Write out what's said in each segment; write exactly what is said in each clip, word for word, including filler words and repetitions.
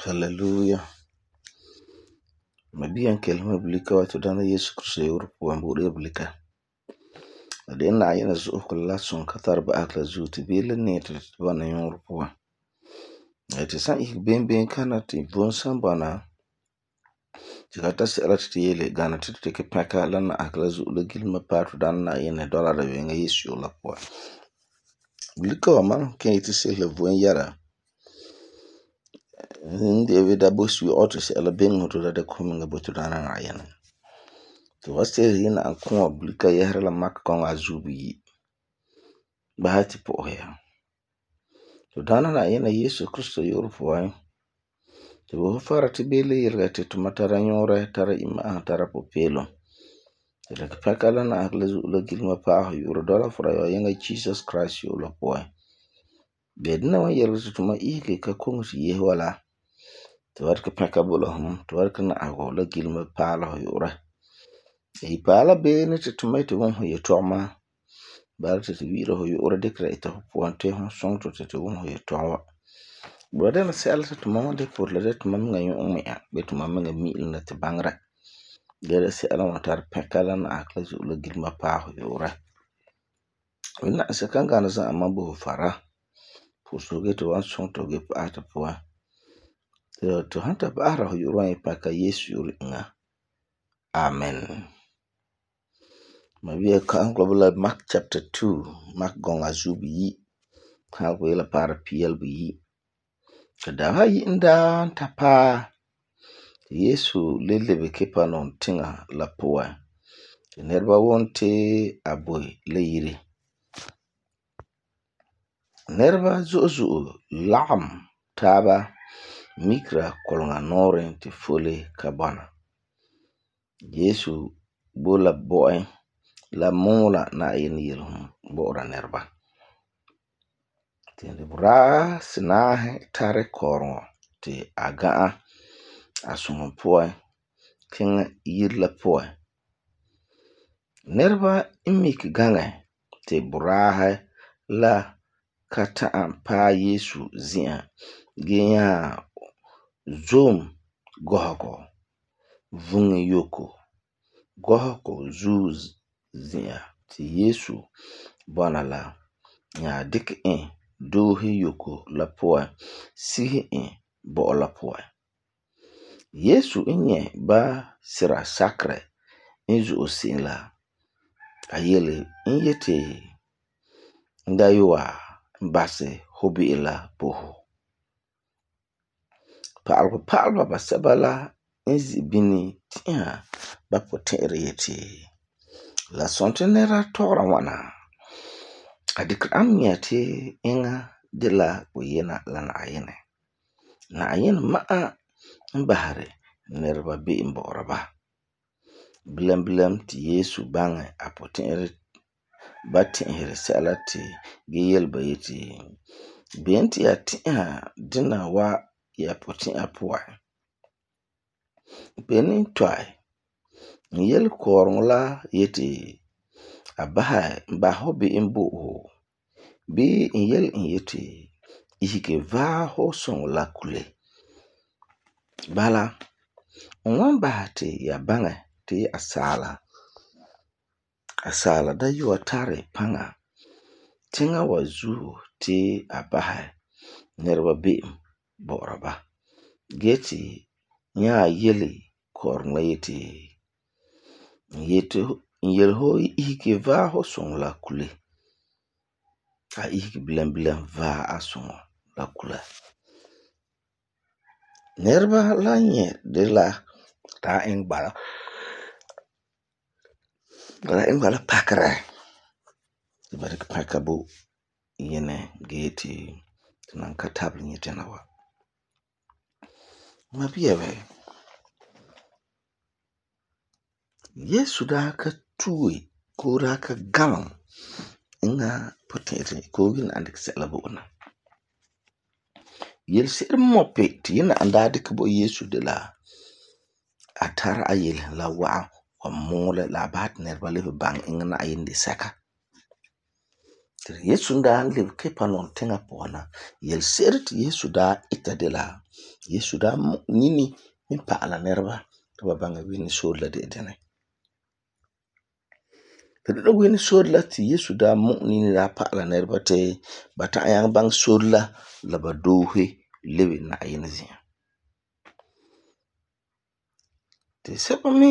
Hallelujah. Mabiyan kelma bulika wa to dana Yesu Kristo yoro puan buɗe bulika. De na yana zo ko la son ka tar ba akla zu ti bele ne to bana yoro puan. Eti san ik ben ben kana ti bon san bana. Ti ka ta sela ti yele gana ti te ke paka la na akla zu la gilma pa to dana na yana dola da wenga Yesu la puan. Bulika wa man ken iti se le voen yara. Ndi da bosu auto se ala ben moto da komi nga boto dana na yana. To waste yina an kuma bulika yahra la mak kon azubi. Bahati po ya. To dana na yana Yesu Kristo yoro puan. To bo fara ti bele yirga ti to matara nyore tara ima tara po pelo. Ti la paka la na akla zu la gilma pa ho yoro dola fara yo yanga Jesus Christ yoro puan. Bedna wa yirga to ma ike ka kongu si yehwala. To warka paka bula hum to warka na ago la gilma pala ho yora e pala be ne te tomato won ho yetoma bar te wira ho yora dekra ita ho ponte ho song to te won ho yetoma brother na sel te mama de pour la det mam nga yo me a be to mam nga mi na te bangra gere se ala watar paka la na akla zu la gilma pa ho yora wina se kan ga na za amabo fara pour so ge to wan song to ge pa ta po to hanta bahra ho yoro e paka Yesu yoro nga. Amen. Mabia kan global Mark chapter two, Mark gonga zubi yi. Ha ko yela para piel bi yi. Kada ha yi nda tapa Yesu lele be kepa non tinga la poa. Nerba wonte aboy le yiri. Nerba zozo lam taba mikra kolonga noren ti fole kabana. Yesu bola boy la mola na yin yilhum bora nerba. Ti bra sinahe tare korongo ti agaa asungun poy king yirla poy. Nerba imik gange ti brahe la kata pa Yesu zia genya zom gohoko vungi yoko gohoko zuz zia ti Yesu bana la nya dik in dohi yoko la poa sihi in bo la poa Yesu inye ba sira sakre inzu osila ayele inyete ndaywa mbase hobi ila poho Palpa palpa ba sabala inzi bini tia ba potere yeti. La sonte nera tora wana. Adik amnya te inga de la uyena la na ayene. Na ayene maa mbahare nerba be imboraba. Bilem bilem ti Yesu bange apotere bati inhere salati geyel bayeti. Benti ya tia dina wa ya potin apuwa. Benin toy. Yel korong la yeti abaha mbaho bi imbo ho. Bi yel yeti ihike va ho song la kule. Bala mwamba te ya bange te asala. Asala da yuwa tare panga. Tinga wazu te abaha nerwa bi boraba. Geti nya yeli korong la yeti yeti yel ho ihike va ho song la kule a ihike bilan bilan va a song la kule nerba la nye de la ta ing bala la ing bala pakra barik pakabu yene geti nan katabli nyetena wa mabiyawe Yesu da ka tuwe ko da ka galam inga potere ko yin andik selabo na yel ser mope ti yina anda dik bo Yesu de la atara ayel la wa wa mole la bat nerba le bang inga na ayin de saka Yesu da le kepa non tenga pona yel ser ti Yesu da ita de la Yesu daa nini min pa'ala nɛreba ti ba baŋɛ wini soore la de dene. Ti de wini soore la ti Yesu daa mu'u nini daa pa'ala nɛreba ti ba ta'am nyaŋɛ baŋɛ soore la la ba doose lebe Na'ayenɛ zi'an. Ti sɛba mi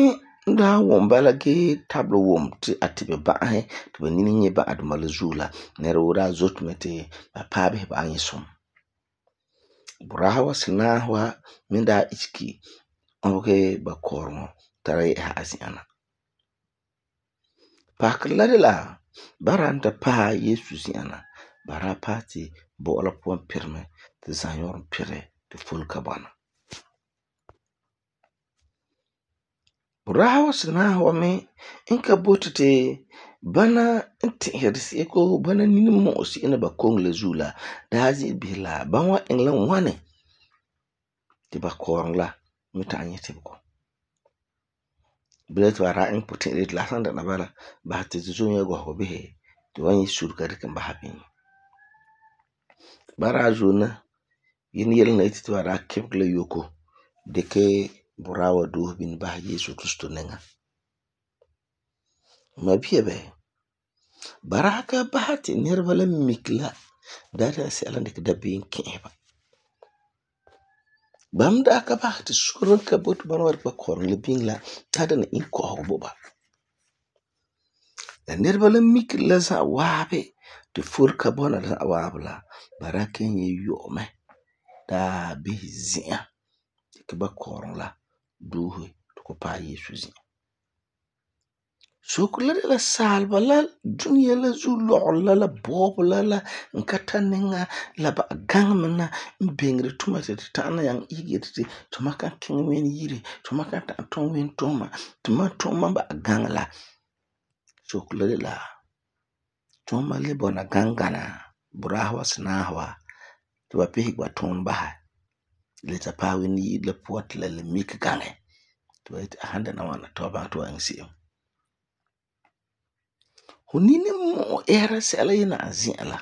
daa wum bala gee tabelɛ wum ti a tibɛ ba'asɛ ti ba nini nyɛ ba'aduma la zuo la, nɛra woo daa zote mɛ ti ba paɛ bisɛ ba nyɛ sum. Boraahe wa sinaahe wa mi daa isege ɔbegɛ ba kɔɔreŋɔ tara yɛ'ɛsa a zi'an na. Pakerɛ la de la ba daa ta paɛ Yesu zi'an na, ba daa paɛ ti bɔ'ɔ la puan pirɛ mɛ ti zanyɔɔrɔ pirɛ ti fole ka bɔna. Boraahe wa sinaahe wa mi n ka boti ti bana n ti'iseri se'em koo bana nini mu'u se'em la ba koŋe la zuo la daa ze'ele bisɛ la ba wan iŋɛ la ŋwane ti ba kɔɔreŋɔ la mi ta'am nyɛ tebego. Bilam ti ba daa iŋɛ puti'irɛ yeti la san dɛna bala, basɛ ti tu zom yɛgɔsegɔ bisɛ ti ba wan nyɛ surega dikɛ basɛ bini. Ba daa zona yene yele na yeti ti ba daa kebege la yoko dikɛ boraahe wa doose bini basɛ Yesu Kristo niŋa. Mabia bɛ, ba daa ka basɛ ti nɛreba la mike la daa dɛna sɛla n dikɛ dabeem kɛ'ɛse ba. Ba me daa ka basɛ ti sore n ka boti bana wa dikɛ ba kɔɔreŋɔ la biŋe la daa dɛna inkɔ'ɔsegɔ bo ba. La nɛreba la mikeri la za'a waabi ti fole ka bɔna za'a waabi la, ba daa kelum nyɛ yɔ'ɔ mɛ daa bisɛ zi'an dikɛ ba kɔɔreŋɔ la doose ti ku paɛ Yesu zi'an. Soko la de la saaleba la dunia la zuo lɔgerɔ la la bɔɔbɔ la la n ka tari niŋa la ba gaŋɛ me na n beŋeri tuma ti tu ta'am na nyaŋɛ isege yeti ti tuma kan kiŋɛ Wɛnɔ yire, tuma kan ta'am tum Wɛnɔ tuuma, tuma tuuma n ba'a gaŋɛ la. Soko la de la tuuma le bɔna gaŋɛ gana boraahe wa sinaahe wa ti ba pihege ba tuunɛ basɛ le ta paɛ Wɛnɔ yire la puan ti la le mike gaŋɛ ti ba yeti a san dɛna ŋwana ti ba baŋɛ ti ba iŋɛ se'em. Fu ninmu'u ɛɛra sɛla yena a zi'an la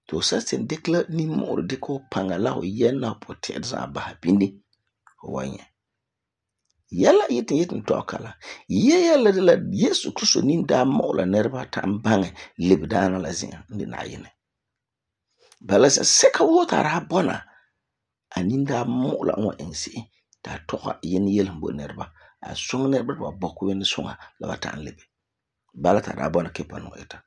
ti fu san dikɛ la ninmu'urɛ dikɛ fu paŋa la fu yɛm la fu puti'irɛ za'a basɛ bini, fu wan nyɛ. Yɛla yeti n yeti n tɔ'ɛ kala, yia yele la de la Yesu Kristo nini daa mu'u la nɛreba ta'am baŋɛ lebedaana la zi'an n de Na'ayenɛ. Bala zen'sɛka woo ti a daa bɔna, a nini daa mu'u la n wan iŋɛ se'em ti a tɔgɛ yene yele bo nɛreba. A suŋɛ nɛreba ti ba bɔkɛ Wɛnɔ suŋa la ba ta'am lebe. Bala ti a daa bɔna kipanugɔ ita.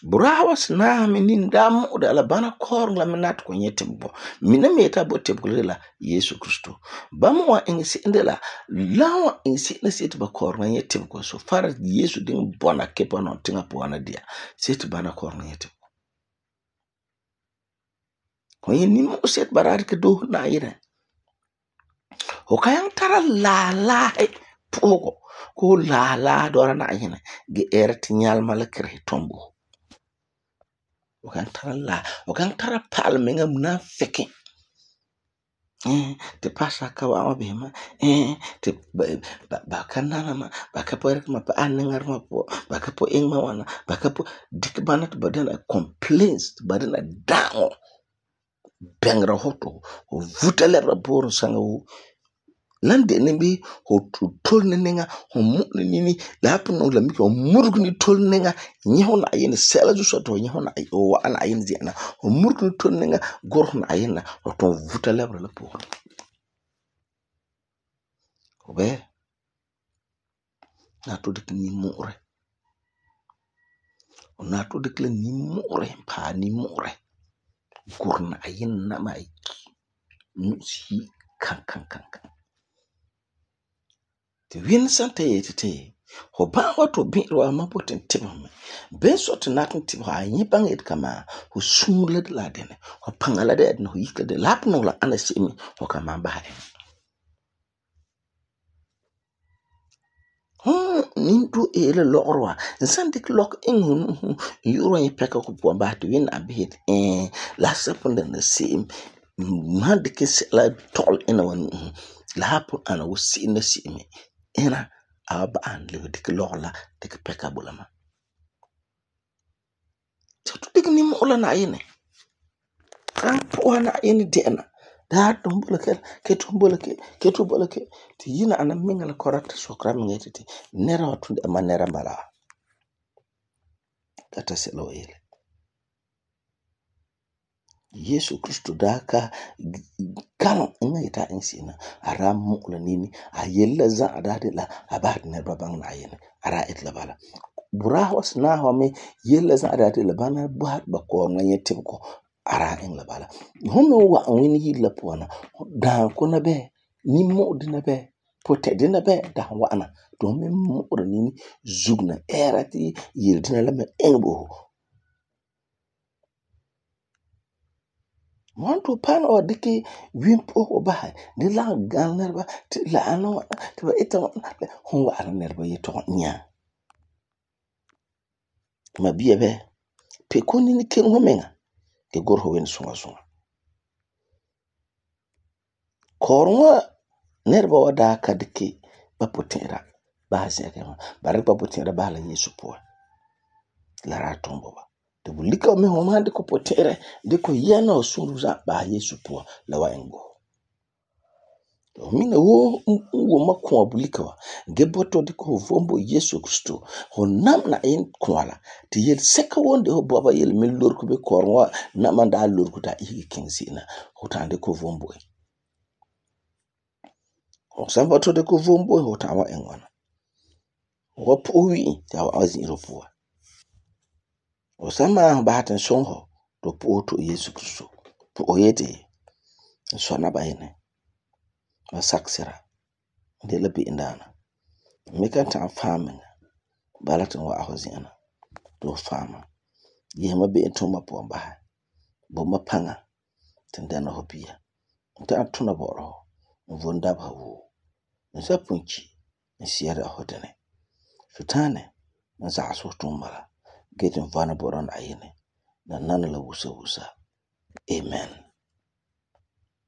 Boraahe wa sinaahe me nini daa mu'u de la bana kɔɔreŋɔ la me nari ti ku nyɛ tebego. Mina me yeti a bo tebego la de la Yesu Kristo. Ba me wan iŋɛ se'em de la la n wan iŋɛ se'em la se'em ti ba kɔɔreŋɔ nyɛ tebego so far as Yesu diŋɛ bɔna kipanugɔ tiŋa puan na dia, see ti bana kɔɔreŋɔ nyɛ tebego. Fu nyɛ ninmu'u se'em ti ba daa dikɛ doose Na'ayenɛ. Fu kan nyaŋɛ tara laalaahi pu'usigɔ koo laalaahi dɔla Na'ayenɛ gee ɛɛra ti nyalema la kirisi tum bo fu. Fu kan tara laa, fu kan tara pa'alemiŋa munafiki. Eh ti pastor ka wa'am wa bisɛ ma, eh ti ba ba ka nana ma, ba ka pɔrɛ ma pa'ahɛ niŋa duma puan, ba ka pɔi iŋɛ ma ŋwana, ba ka pɔi dikɛ bana ti ba dɛna complaints, ti ba dɛna da'aŋɔ bɛŋera fu ti fu vuta lɛbera buuri saŋa woo. Lan de ni bi fu tole ni niŋa, fu mu'u ni nini, la san pugum la mike fu murege ni tole niŋa nyɛ fu Na'ayenɛ sɛla zuo sɔrɔ ti fu nyɛ fu Na'ayenɛ, fu wa'a Na'ayenɛ zi'an na. Fu murege ni tole niŋa gurɛ fu Na'ayenɛ na, fu tum vuta lɛbera la pooren. Fu bɛ na tu dikɛ ninmu'urɛ. Fu na tu dikɛ la ninmu'urɛ paɛ ninmu'urɛ gurɛ Na'ayenɛ nama ayi nu'usi kan kan kan kan. Ti Wɛnɔ san ta yeti ti fu ba'am wa ti fu bi'ira wa mam boti n tibesum mɛ. Beni sɔi ti n nati n tibesɛ, a nyɛ baŋɛ yeti kamaa fu suure la de la dɛna, fu paŋa la de la dɛna, fu yike la de la, la san pugum la ana se'em me fu kan malum basɛ iŋɛ. Hum ninduo eele lɔgerɔ wa, n san dikɛ lɔkɔ iŋɛ fu nu'usi n yu'urɛ wa nyɛ pɛkɛgɔ puan basɛ ti Wɛnna bisɛ yeti ɛɛ la san pugum dɛna se'em, n han dikɛ sɛla tɔgelɛ ina wa nu'usi, la san pugum ana wuu se'em la se'em me, ina a wan ba'am lebe dikɛ lɔgerɔ la dikɛ pɛka bo la mam. Tu dikɛ ninmu'urɛ la Na'ayenɛ. Kan pu'usa Na'ayenɛ dɛ'ɛna daa tum bola ke ke tum bola ke ke tum bola ke ti yina ana minga la korata sokra minga ti nera wa tun ama nera bala kata sela wa yele Yesu Kristo da ka kan ina ita insina ara mukla nini a yella za ada de la aba ne babang na yin ara itla bala bura was na ho me yella za ada de la bana ba ba ko na yete ko ara in la bala hono wa wini yilla puana da ko na be ni mo de na be pote de na be da wa ana to me mo nini zugna erati yildina la me engbo Mwanto pan o diki wimpo o bahay ni la gan nerba ti la ano ti ba ita hon wa ana nerba yeto nya ma biya be pe koni ni ken homenga ke gor ho wen sunga sunga korwa nerba wa da ka diki ba potera ba se ke ma ba ba potera ba la Yesu po la ra tombo ba de bulika me ho ma de ko potere de ko yana osuruza ba Yesu po la wa engo mina wo wo makon abulika wa geboto de ko vombo Yesu Kristo ho nam na en kwala ti yel seka wonde ho baba yel min lor ko be korwa na manda lor ko ta igi kingsina ho tande ko vombo ho sambato de ko vombo ho ta wa en wana ho po wi ta wa azin ro po o sama ba tan sonho do po to Yesu Kristo po oyete so na bayene ma saksira de la bi indana me kan ta famin balatin wa ahozina do fama yema be entoma po mba bo mapanga tendana hopia ta tuna boro vonda ba wo nsa punchi nsiara hodene futane nsa aso tumala getin vana boron ayene na nana la wusa wusa amen.